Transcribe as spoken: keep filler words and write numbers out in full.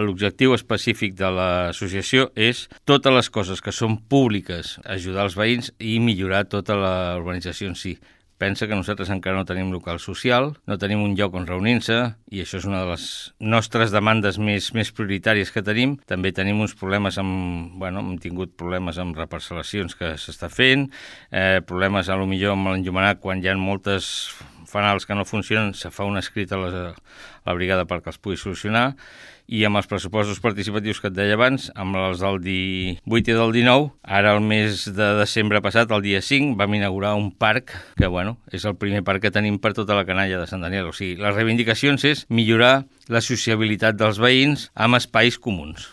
l'objectiu específic de l'associació és totes les coses que són públiques, ajudar els veïns i millorar tota la urbanització en si. Pensa que nosaltres encara no tenim local social, no tenim un lloc on reunir-se i això és una de les nostres demandes més, més prioritàries que tenim. També tenim uns problemes amb... Bueno, hem tingut problemes amb reparcel·lacions que s'està fent, eh, problemes a lo millor amb l'enllumenat quan hi ha moltes fanals que no funcionen, se fa un escrit a la, a la brigada perquè els pugui solucionar. I amb els pressupostos participatius que et deia abans, amb els del divuit i del dinou, ara el mes de desembre passat, el dia cinc, vam inaugurar un parc que, bueno, és el primer parc que tenim per tota la canalla de Sant Daniel. O sigui, les reivindicacions és millorar la sociabilitat dels veïns amb espais comuns.